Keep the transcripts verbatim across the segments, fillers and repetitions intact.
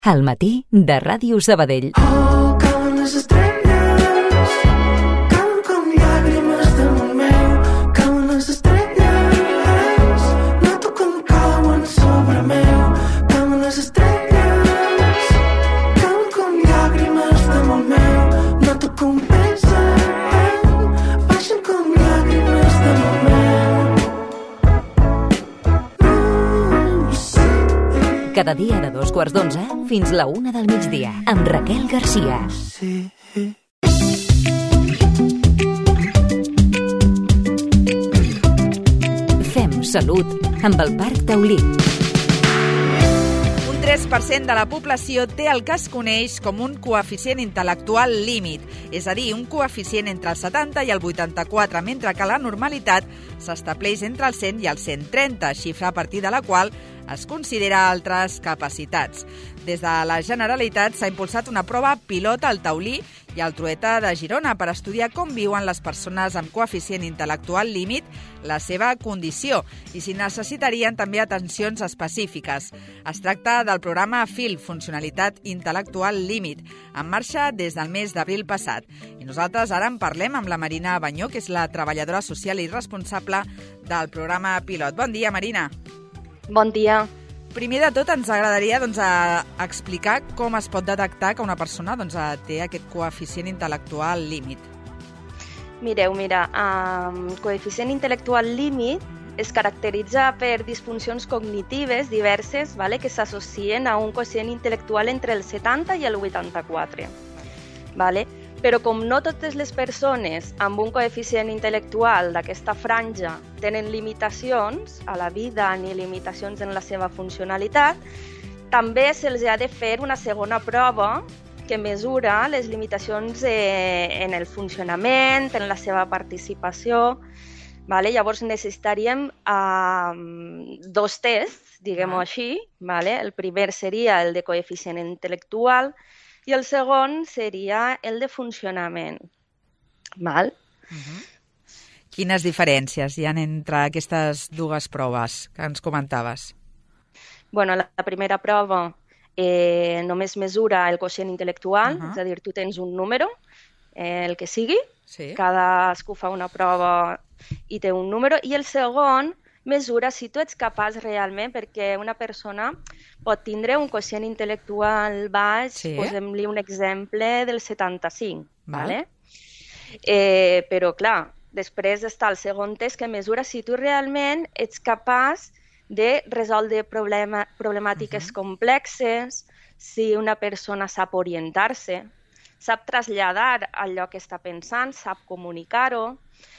Al matí de Ràdio Sabadell. Oh, cauen les estrelles, cauen com llàgrimes damunt meu, cauen les estrelles, noto com cauen sobre meu, cauen les estrelles, cauen com llàgrimes damunt meu, noto com pesen, baixen com llàgrimes damunt meu. Cada dia de dos quarts d'onze fins la una del migdia, amb Raquel Garcia. Sí. Fem salut amb el Parc Taulí. Un tres per cent de la població té el que es coneix com un coeficient intel·lectual límit, és a dir, un coeficient entre el setanta i el vuitanta-quatre, mentre que la normalitat s'estableix entre el cent i el cent trenta, xifra a partir de la qual es considera altres capacitats. Des de la Generalitat s'ha impulsat una prova pilot al Taulí i al Trueta de Girona per estudiar com viuen les persones amb coeficient intel·lectual límit, la seva condició i si necessitarien també atencions específiques. Es tracta del programa F I L, Funcionalitat Intel·lectual Límit, en marxa des del mes d'abril passat. I nosaltres ara en parlem amb la Marina Banyó, que és la treballadora social i responsable del programa pilot. Bon dia, Marina. Bon dia. Primer de tot, ens agradaria doncs, a explicar com es pot detectar que una persona doncs, té aquest coeficient intel·lectual límit. Mireu, mira, el um, coeficient intel·lectual límit es caracteritza per disfuncions cognitives diverses, vale, que s'associen a un quocient intel·lectual entre el setanta i el vuitanta-quatre. Vale? Però com no totes les persones amb un coeficient intel·lectual d'aquesta franja tenen limitacions a la vida ni limitacions en la seva funcionalitat, també se'ls ha de fer una segona prova que mesura les limitacions eh, en el funcionament, en la seva participació. Vale? Llavors necessitaríem eh, dos tests, diguem-ho així. Vale? El primer seria el de coeficient intel·lectual, i el segon seria el de funcionament. Val? Uh-huh. Quines diferències hi ha entre aquestes dues proves que ens comentaves? Bueno, la primera prova eh, només mesura el quocient intel·lectual, uh-huh. és a dir, tu tens un número, eh, el que sigui, sí. Cadascú fa una prova i té un número, i el segon mesura si tu ets capaç realment, perquè una persona pot tindre un quocient intel·lectual baix, sí. Posem-li un exemple del setanta-cinc, Val. Vale? Eh, però clar, després està el segon test que mesura si tu realment ets capaç de resoldre problema, problemàtiques uh-huh. complexes, si una persona sap orientar-se, sap traslladar allò que està pensant, sap comunicar-ho.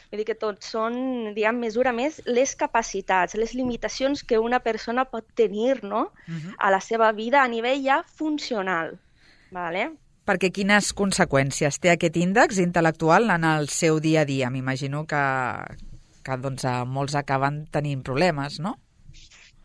Vull dir que tot són, diguem, mesura més les capacitats, les limitacions que una persona pot tenir, no? Uh-huh. A la seva vida a nivell ja funcional. Vale? Perquè quines conseqüències té aquest índex intel·lectual en el seu dia a dia? M'imagino que, que doncs, molts acaben tenint problemes, no?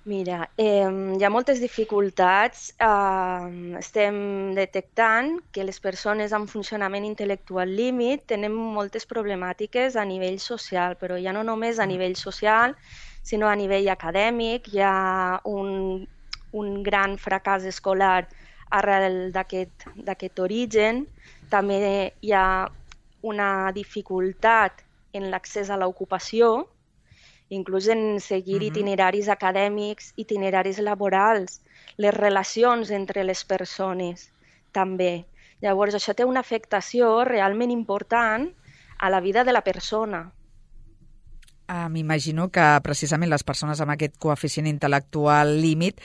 Mira, eh, hi ha moltes dificultats. Eh, estem detectant que les persones amb funcionament intel·lectual límit tenen moltes problemàtiques a nivell social, però ja no només a nivell social, sinó a nivell acadèmic. Hi ha un, un gran fracàs escolar arrel d'aquest d'aquest origen. També hi ha una dificultat en l'accés a l'ocupació, inclús en seguir uh-huh. itineraris acadèmics, itineraris laborals, les relacions entre les persones, també. Llavors, això té una afectació realment important a la vida de la persona. Uh, M'imagino que precisament les persones amb aquest coeficient intel·lectual límit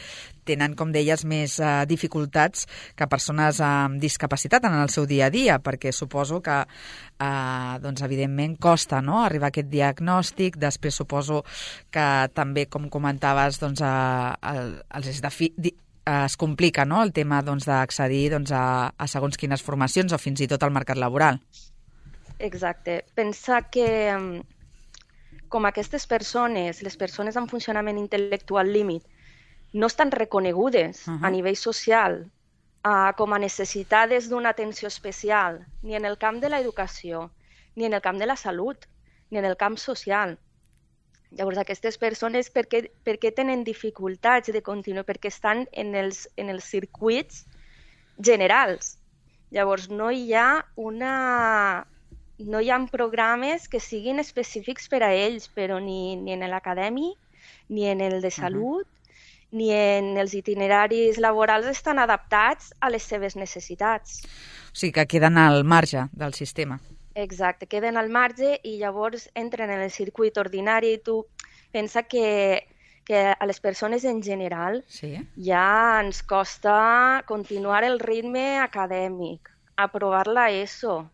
tenen, com deies, més uh, dificultats que persones amb discapacitat en el seu dia a dia, perquè suposo que, uh, doncs, evidentment, costa, no?, arribar a aquest diagnòstic. Després suposo que també, com comentaves, doncs, uh, el, els defi- di- uh, es complica, no?, el tema doncs, d'accedir doncs, a, a segons quines formacions o fins i tot al mercat laboral. Exacte. Pensa que com aquestes persones, les persones amb funcionament intel·lectual límit, no estan reconegudes uh-huh. a nivell social uh, com a necessitades d'una atenció especial, ni en el camp de l'educació, ni en el camp de la salut, ni en el camp social. Llavors, aquestes persones, per què, per què tenen dificultats de continuar? Perquè estan en els, en els circuits generals. Llavors, no hi ha una... no hi ha programes que siguin específics per a ells, però ni, ni en l'acadèmic, ni en el de salut, uh-huh. ni en els itineraris laborals estan adaptats a les seves necessitats. O sigui que queden al marge del sistema. Exacte, queden al marge i llavors entren en el circuit ordinari i tu pensa que, que a les persones en general sí. ja ens costa continuar el ritme acadèmic, aprovar la ESO,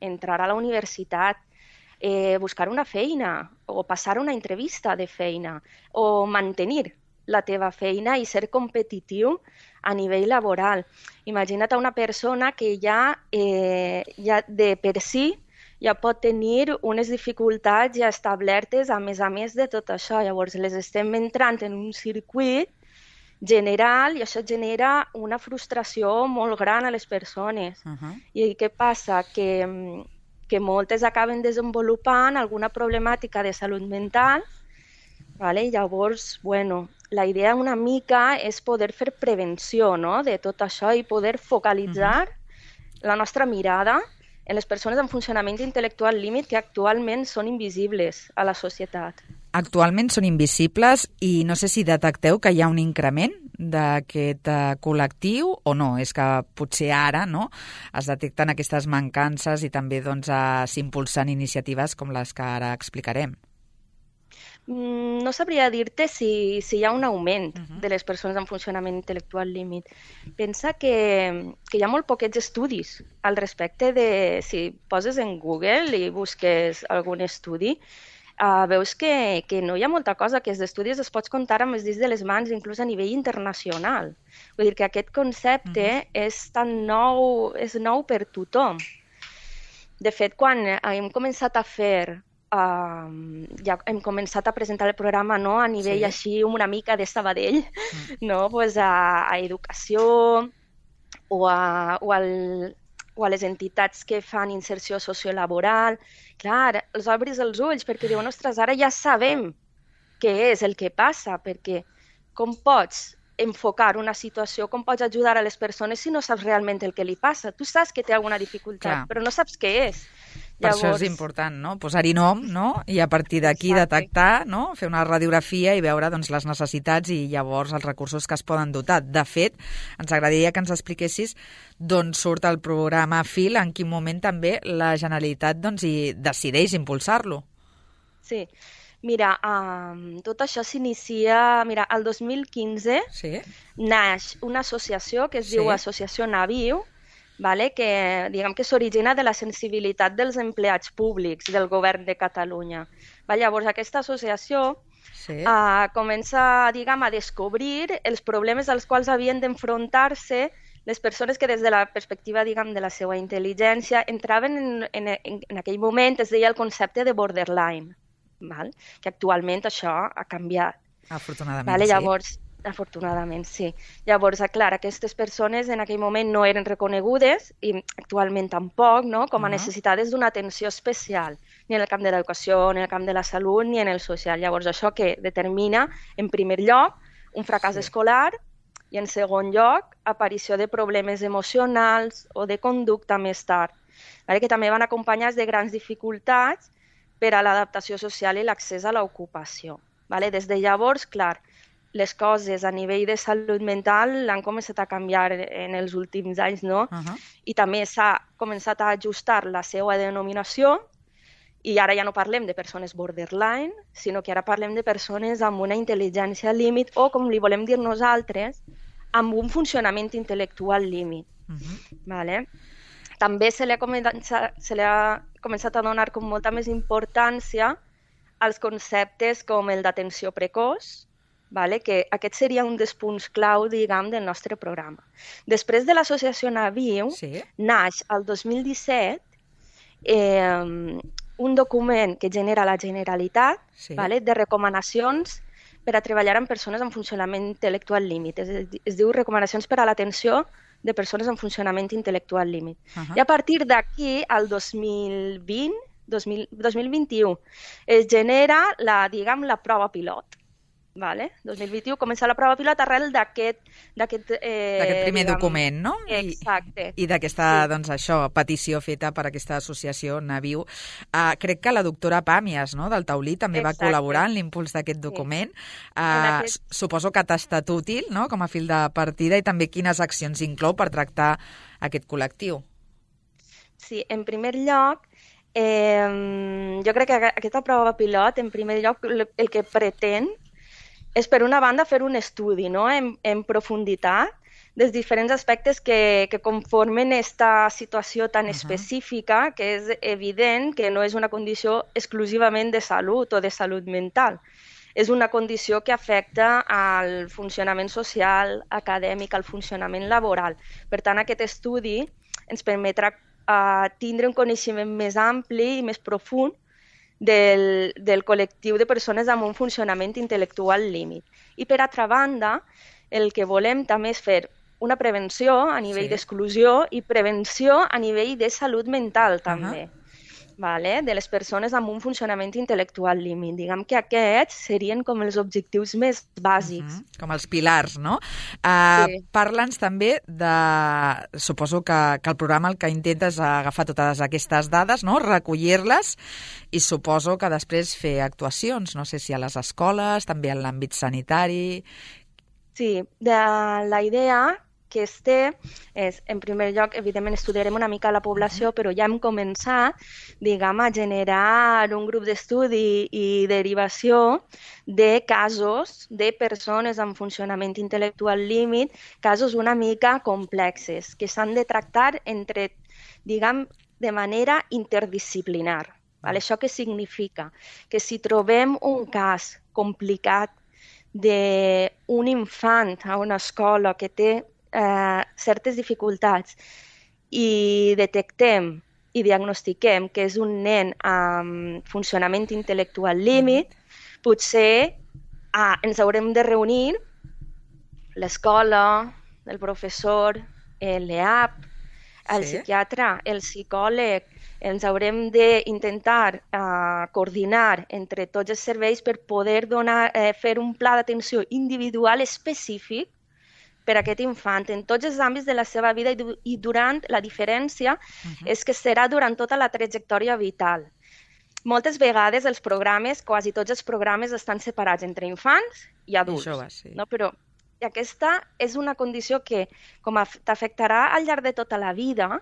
entrar a la universitat, eh, buscar una feina o passar una entrevista de feina o mantenir la teva feina i ser competitiu a nivell laboral. Imagina't una persona que ja, eh, ja de per si ja pot tenir unes dificultats ja establertes a més a més de tot això. Llavors les estem entrant en un circuit general i això genera una frustració molt gran a les persones. Uh-huh. I què passa? Que, que moltes acaben desenvolupant alguna problemàtica de salut mental, vale? Llavors, bueno, la idea una mica és poder fer prevenció, no?, de tot això i poder focalitzar uh-huh. la nostra mirada en les persones amb funcionament intel·lectual límit que actualment són invisibles a la societat. Actualment són invisibles i no sé si detecteu que hi ha un increment d'aquest uh, col·lectiu o no. És que potser ara no, es detecten aquestes mancances i també doncs, uh, s'impulsen iniciatives com les que ara explicarem. No sabria dir-te si, si hi ha un augment uh-huh. de les persones amb funcionament intel·lectual límit. Pensa que, que hi ha molt poquets estudis al respecte de... Si poses en Google i busques algun estudi, uh, veus que, que no hi ha molta cosa, que els estudis es pots comptar amb els dits de les mans, inclús a nivell internacional. Vull dir que aquest concepte uh-huh. és tan nou, és nou per tothom. De fet, quan hem començat a fer... Uh, ja hem començat a presentar el programa no, a nivell sí. així una mica de Sabadell, mm. no, pues a, a educació o a, o, al, o a les entitats que fan inserció sociolaboral. Clar, els obris els ulls perquè diuen, ostres, ara ja sabem què és el que passa, perquè com pots enfocar una situació, com pots ajudar a les persones si no saps realment el que li passa? Tu saps que té alguna dificultat, Clar. Però no saps què és. Per Llavors... això és important, no? Posar-hi nom, no? I a partir d'aquí detectar, no? Fer una radiografia i veure doncs, les necessitats i llavors els recursos que es poden dotar. De fet, ens agradaria que ens expliquessis d'on surt el programa Fil, en quin moment també la Generalitat doncs, hi decideix impulsar-lo. Sí, mira, um, tot això s'inicia... Mira, el dos mil quinze sí. naix una associació que es sí. diu Associació Naviu, vale? Que, diguem que s'origina de la sensibilitat dels empleats públics del govern de Catalunya. Va, llavors, aquesta associació sí. uh, comença diguem, a descobrir els problemes als quals havien d'enfrontar-se les persones que des de la perspectiva diguem, de la seva intel·ligència entraven en, en, en, en aquell moment, es deia el concepte de borderline, val? Que actualment això ha canviat. Afortunadament, vale? sí. Llavors, afortunadament, sí. Llavors, clar, aquestes persones en aquell moment no eren reconegudes i actualment tampoc, no? Com a uh-huh. necessitades d'una atenció especial, ni en el camp de l'educació, ni en el camp de la salut, ni en el social. Llavors, això que determina, en primer lloc, un fracàs sí. escolar i, en segon lloc, aparició de problemes emocionals o de conducta més tard, vale? Que també van acompanyats de grans dificultats per a l'adaptació social i l'accés a l'ocupació. Vale? Des de llavors, clar, les coses a nivell de salut mental han començat a canviar en els últims anys, no? Uh-huh. I també s'ha començat a ajustar la seva denominació i ara ja no parlem de persones borderline, sinó que ara parlem de persones amb una intel·ligència límit o, com li volem dir nosaltres, amb un funcionament intel·lectual límit. Uh-huh. Vale? També se li ha començat, se li ha començat a donar com molta més importància als conceptes com el d'atenció precoç, vale? Que aquest seria un dels punts clau, diguem, del nostre programa. Després de l'associació Naviu, sí. naix el dos mil disset eh, un document que genera la Generalitat sí. vale? De recomanacions per a treballar amb persones amb funcionament intel·lectual límit. Es, es diu recomanacions per a l'atenció de persones amb funcionament intel·lectual límit. Uh-huh. I a partir d'aquí, al dos mil vint, dos mil, dos mil vint-i-u, es genera la, diguem, la prova pilot. Vale? dos mil vint-i-u, començar la prova pilot arrel d'aquest... D'aquest eh, primer diguem, document, no? Exacte. I, i d'aquesta, sí. doncs això, petició feta per aquesta associació Naviu. Uh, crec que la doctora Pàmies, no?, del Taulí, també Exacte. va col·laborar en l'impuls d'aquest document. Sí. Uh, aquest... Suposo que t'ha estat útil, no?, com a fil de partida, i també quines accions inclou per tractar aquest col·lectiu. Sí, en primer lloc, eh, jo crec que aquesta prova pilot, en primer lloc, el que pretén és, per una banda, fer un estudi, no?, en, en profunditat dels diferents aspectes que, que conformen aquesta situació tan uh -huh. específica, que és evident que no és una condició exclusivament de salut o de salut mental. És una condició que afecta al funcionament social, acadèmic, al funcionament laboral. Per tant, aquest estudi ens permetrà uh, tindre un coneixement més ampli i més profund Del, del col·lectiu de persones amb un funcionament intel·lectual límit. I per altra banda, el que volem també és fer una prevenció a nivell sí. d'exclusió i prevenció a nivell de salut mental també, uh-huh. vale? De les persones amb un funcionament intel·lectual límit. Diguem que aquests serien com els objectius més bàsics. Uh-huh. Com els pilars, no? Uh, sí. Parla'ns també de... Suposo que, que el programa el que intenta és agafar totes aquestes dades, no?, recollir-les, i suposo que després fer actuacions, no sé si a les escoles, també en l'àmbit sanitari... Sí, de la idea que es té és, en primer lloc, evidentment estudiarem una mica la població, però ja hem començat, diguem, a generar un grup d'estudi i derivació de casos de persones amb funcionament intel·lectual límit, casos una mica complexes, que s'han de tractar entre, diguem, de manera interdisciplinar. Vale? Això què significa? Que si trobem un cas complicat d'un infant a una escola que té eh, certes dificultats i detectem i diagnostiquem que és un nen amb funcionament intel·lectual límit, potser ah, ens haurem de reunir l'escola, el professor, l'E A P, el sí. psiquiatre, el psicòleg. Ens haurem d'intentar uh, coordinar entre tots els serveis per poder donar, eh, fer un pla d'atenció individual específic per a aquest infant en tots els àmbits de la seva vida i, du i durant la diferència uh-huh. és que serà durant tota la trajectòria vital. Moltes vegades els programes, quasi tots els programes estan separats entre infants i adults. I joves, sí. No? Però aquesta és una condició que, com t'afectarà al llarg de tota la vida,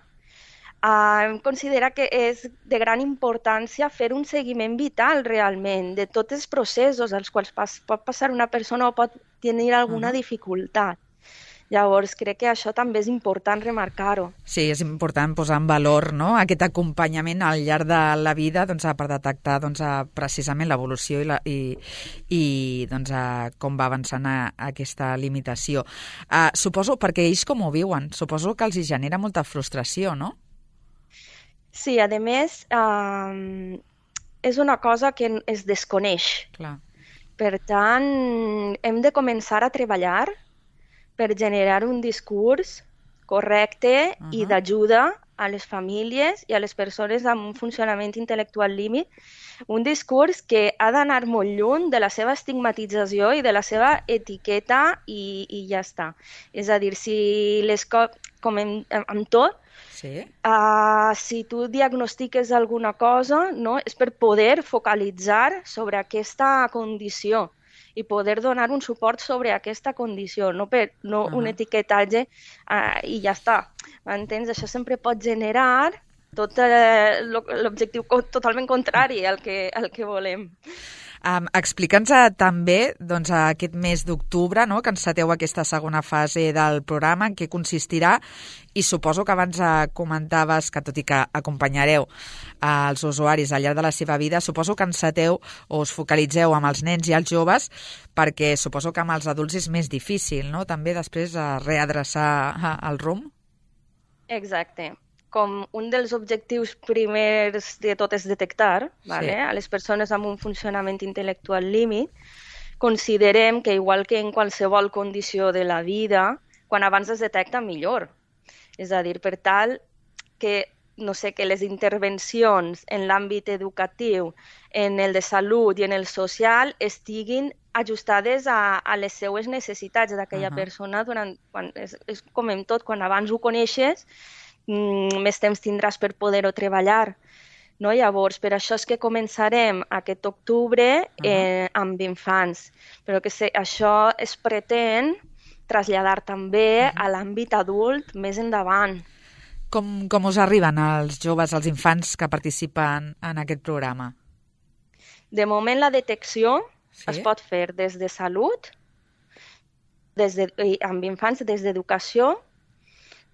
Uh, considera que és de gran importància fer un seguiment vital realment de tots els processos als quals pas, pot passar una persona o pot tenir alguna uh-huh. dificultat. Llavors, crec que això també és important remarcar-ho. Sí, és important posar en valor, no?, aquest acompanyament al llarg de la vida, doncs, per detectar doncs, precisament l'evolució i, la, i, i doncs, com va avançant a, a aquesta limitació. Uh, suposo, perquè ells com ho viuen, suposo que els hi genera molta frustració, no? Sí, a més, eh, és una cosa que es desconeix. Clar. Per tant, hem de començar a treballar per generar un discurs correcte uh-huh. i d'ajuda a les famílies i a les persones amb un funcionament intel·lectual límit, un discurs que ha d'anar molt lluny de la seva estigmatització i de la seva etiqueta i, i ja està. És a dir, si les co- com en, amb tot, sí. uh, si tu diagnostiques alguna cosa, no, és per poder focalitzar sobre aquesta condició i poder donar un suport sobre aquesta condició, no, per, no uh-huh. un etiquetatge uh, i ja està. M'entens? Això sempre pot generar tot eh, l'objectiu totalment contrari al que, al que volem. Um, Explica'ns també doncs, aquest mes d'octubre, no?, que enceteu aquesta segona fase del programa, en què consistirà, i suposo que abans eh, comentaves que, tot i que acompanyareu eh, els usuaris al llarg de la seva vida, suposo que enceteu o us focalitzeu amb els nens i els joves, perquè suposo que amb els adults és més difícil, no?, també després eh, readreçar el rumb. Exacte. Com un dels objectius primers de tot és detectar, vale? Sí. A les persones amb un funcionament intel·lectual límit, considerem que, igual que en qualsevol condició de la vida, quan abans es detecta, millor. És a dir, per tal que, no sé, que les intervencions en l'àmbit educatiu, en el de salut i en el social estiguin ajustades a, a les seues necessitats d'aquella Uh-huh. persona. Durant, quan, és, és com en tot, quan abans ho coneixes, mm, més temps tindràs per poder-ho treballar. No? Llavors, per això és que començarem aquest octubre eh, amb infants, però que se, això es pretén traslladar també a l'àmbit adult més endavant. Com, com us arriben els joves, els infants que participen en aquest programa? De moment la detecció Sí? es pot fer des de salut, des de, i amb infants des d'educació,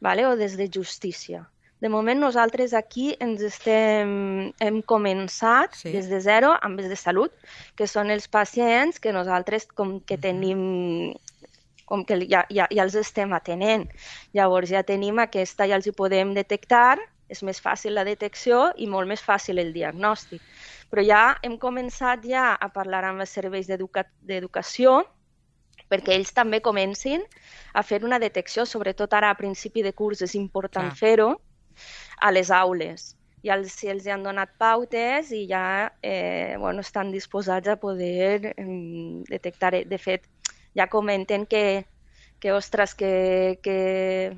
vale? O des de justícia. De moment nosaltres aquí ens estem, hem començat Sí. des de zero amb els de salut, que són els pacients que nosaltres com que tenim, com que ja, ja, ja els estem atenent. Llavors ja tenim aquesta, ja els hi podem detectar, és més fàcil la detecció i molt més fàcil el diagnòstic. Però ja hem començat ja a parlar amb els serveis d'educa d'educació perquè ells també comencin a fer una detecció, sobretot ara a principi de curs és important Clar. fer-ho, a les aules. Ja els, si els han donat pautes i ja eh, bueno, estan disposats a poder eh, detectar. De fet, ja comenten que, que ostres, que, que,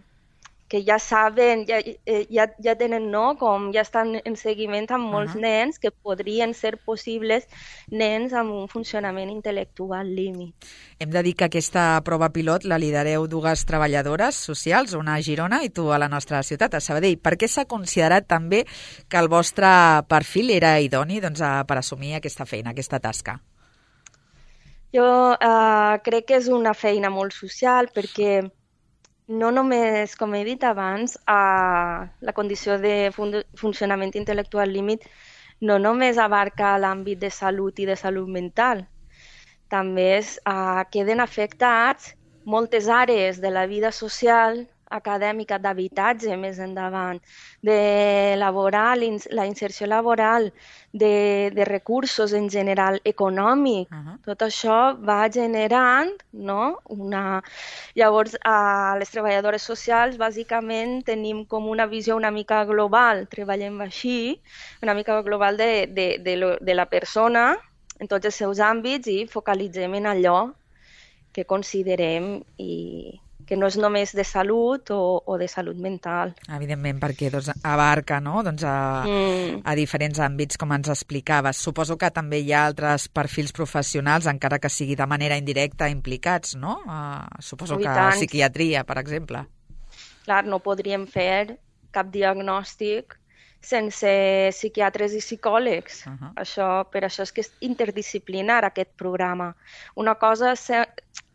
que ja saben, ja, eh, ja, ja tenen, no?, com ja estan en seguiment amb molts Uh-huh. nens que podrien ser possibles nens amb un funcionament intel·lectual límit. Hem de dir que aquesta prova pilot la lidereu dues treballadores socials, una a Girona i tu a la nostra ciutat, a Sabadell. Per què s'ha considerat també que el vostre perfil era idoni doncs, a, per assumir aquesta feina, aquesta tasca? Jo eh, crec que és una feina molt social perquè no només, com he dit abans, eh, la condició de fun funcionament intel·lectual límit no només abarca l'àmbit de salut i de salut mental, també es, eh, queden afectats moltes àrees de la vida social, acadèmica, d'habitatge més endavant, de laboral, la inserció laboral, de, de recursos en general, econòmic. Uh-huh. Tot això va generant, no? Una... Llavors, a les treballadores socials, bàsicament, tenim com una visió una mica global, treballem així, una mica global de, de, de, lo, de la persona en tots els seus àmbits i focalitzem en allò que considerem i que no és només de salut o, o de salut mental. Evidentment, perquè doncs, abarca no? doncs a, Mm. a diferents àmbits, com ens explicaves. Suposo que també hi ha altres perfils professionals, encara que sigui de manera indirecta, implicats, no? Uh, suposo Oh, i que tant. psiquiatria, per exemple. Clar, no podríem fer cap diagnòstic sense psiquiatres i psicòlegs. Uh-huh. Això, per això és que és interdisciplinar aquest programa. Una cosa se-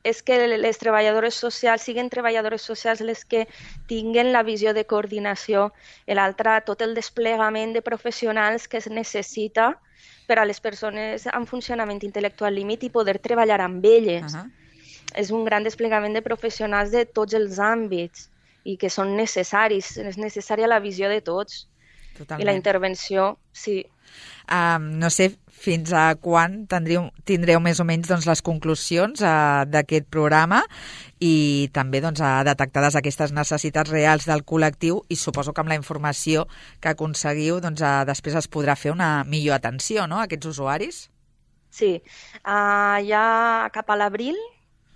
és que les treballadores socials siguin treballadores socials les que tinguen la visió de coordinació, i l'altra tot el desplegament de professionals que es necessita per a les persones amb funcionament intel·lectual límit i poder treballar amb elles. Uh-huh. És un gran desplegament de professionals de tots els àmbits i que són necessaris. És necessària la visió de tots. Totalment. I la intervenció, sí. Um, no sé fins a quan tindreu, tindreu més o menys doncs, les conclusions uh, d'aquest programa i també doncs, uh, detectades aquestes necessitats reals del col·lectiu i suposo que amb la informació que aconseguiu doncs, uh, després es podrà fer una millor atenció no, a aquests usuaris? Sí, uh, ja cap a l'abril,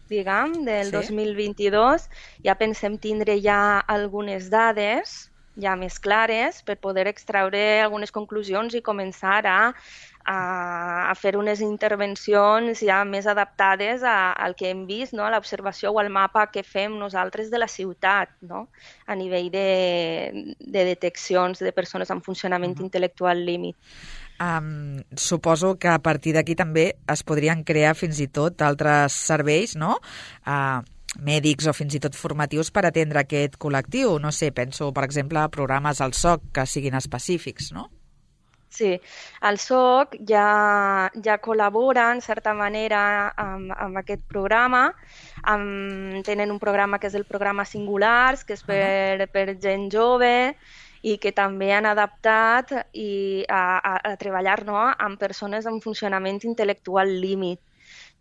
diguem, del Sí. dos mil vint-i-dos, ja pensem tindre ja algunes dades ja més clares per poder extraure algunes conclusions i començar a, a, a fer unes intervencions ja més adaptades a, al que hem vist, no? A l'observació o al mapa que fem nosaltres de la ciutat, no? A nivell de, de deteccions de persones amb funcionament Uh-huh. intel·lectual límit. Um, suposo que a partir d'aquí també es podrien crear fins i tot altres serveis, no?, uh, mèdics o fins i tot formatius per atendre aquest col·lectiu. No sé, penso, per exemple, a programes al S O C que siguin específics, no? Sí, el S O C ja, ja col·labora, en certa manera, amb, amb aquest programa. Amb, tenen un programa que és el programa Singulars, que és per, per gent jove, i que també han adaptat i a, a, a treballar no, amb persones amb funcionament intel·lectual límit.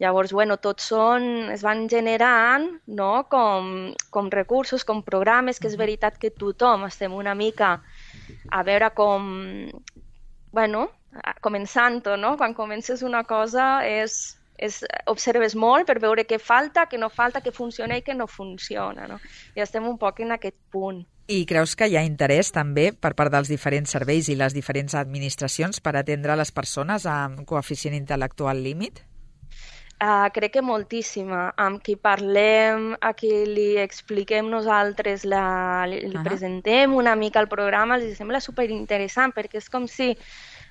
Llavors, bueno, tots són, es van generant no, com, com recursos, com programes, que és veritat que tothom estem una mica a veure com, bueno, començant-ho, no? Quan comences una cosa és, és, observes molt per veure què falta, què no falta, què funciona i què no funciona, no? I estem un poc en aquest punt. I creus que hi ha interès també per part dels diferents serveis i les diferents administracions per atendre les persones amb coeficient intel·lectual límit? Uh, crec que moltíssima. Amb qui parlem, a qui li expliquem nosaltres, la, li, li uh -huh. presentem una mica el programa, els sembla superinteressant, perquè és com si,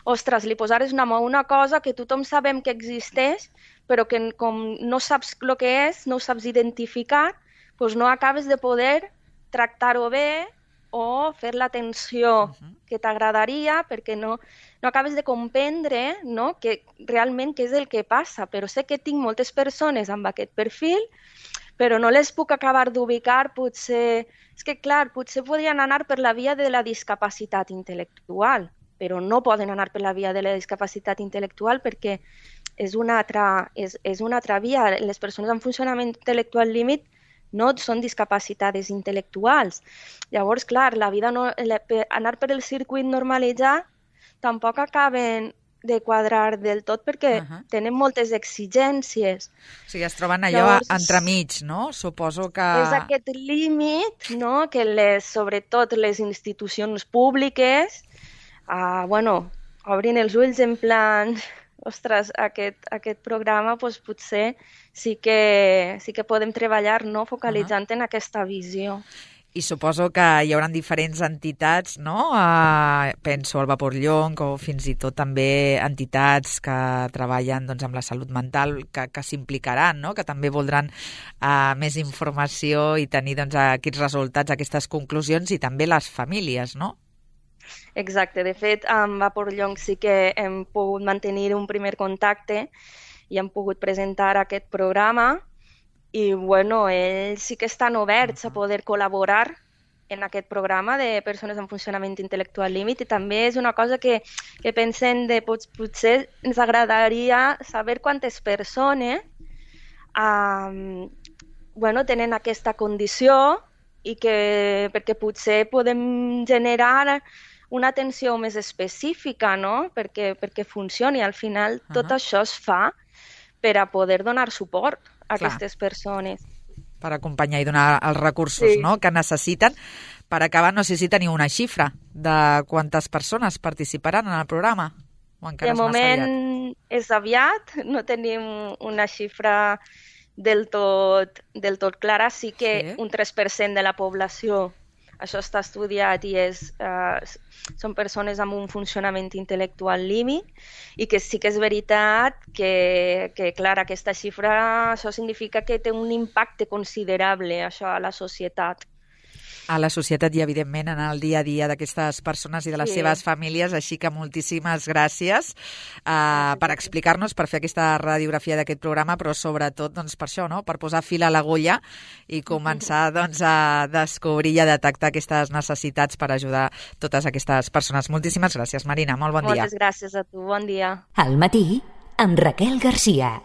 ostres, li posares una mà a una cosa que tothom sabem que existeix, però que com no saps el que és, no ho saps identificar, doncs no acabes de poder tractar-ho bé o fer l'atenció uh-huh. que t'agradaria perquè no, no acabes de comprendre, no, que realment què és el que passa. Però sé que tinc moltes persones amb aquest perfil, però no les puc acabar d'ubicar. Potser, és que clar, potser podrien anar per la via de la discapacitat intel·lectual, però no poden anar per la via de la discapacitat intel·lectual perquè és una altra, és, és una altra via. Les persones amb funcionament intel·lectual límit no són discapacitades intel·lectuals. Llavors, clar, la vida no, la, anar per el circuit normalitzat tampoc acaben de quadrar del tot perquè uh-huh. tenen moltes exigències. O sigui, es troben allò Llavors, entremig, no? Suposo que... És aquest límit, no?, que les, sobretot les institucions públiques, uh, bueno, obrin els ulls en plan... Ostres, aquest, aquest programa doncs, potser sí que, sí que podem treballar, no?, focalitzant uh-huh. en aquesta visió. I suposo que hi haurà diferents entitats, no? Uh, penso al Vapor Llonc o fins i tot també entitats que treballen doncs, amb la salut mental que, que s'implicaran, no? Que també voldran uh, més informació i tenir doncs, aquests resultats, aquestes conclusions i també les famílies, no? Exacte. De fet, amb Vapor Llonc sí que hem pogut mantenir un primer contacte i hem pogut presentar aquest programa i, bueno, ells sí que estan oberts a poder col·laborar en aquest programa de persones amb funcionament intel·lectual límit i també és una cosa que, que pensem de pot, potser ens agradaria saber quantes persones um, bueno, tenen aquesta condició i que perquè potser podem generar una atenció més específica, no?, perquè, perquè funcioni. Al final uh-huh. tot això es fa per a poder donar suport a Clar. aquestes persones. Per acompanyar i donar els recursos sí. no?, que necessiten. Per acabar, no sé si teniu una xifra de quantes persones participaran en el programa. O encara de és moment aviat? és aviat, no tenim una xifra del tot, del tot clara. Sí que sí. un tres per cent de la població, això està estudiat i és, uh, són persones amb un funcionament intel·lectual límit i que sí que és veritat que, que, clar, aquesta xifra, això significa que té un impacte considerable això a la societat. A la societat i, evidentment, en el dia a dia d'aquestes persones i de les sí. seves famílies. Així que moltíssimes gràcies uh, per explicar-nos, per fer aquesta radiografia d'aquest programa, però sobretot doncs, per això, no? Per posar fil a l'agulla i començar doncs, a descobrir i a detectar aquestes necessitats per ajudar totes aquestes persones. Moltíssimes gràcies, Marina. Molt bon dia. Moltes gràcies a tu. Bon dia. Al matí, amb Raquel Garcia.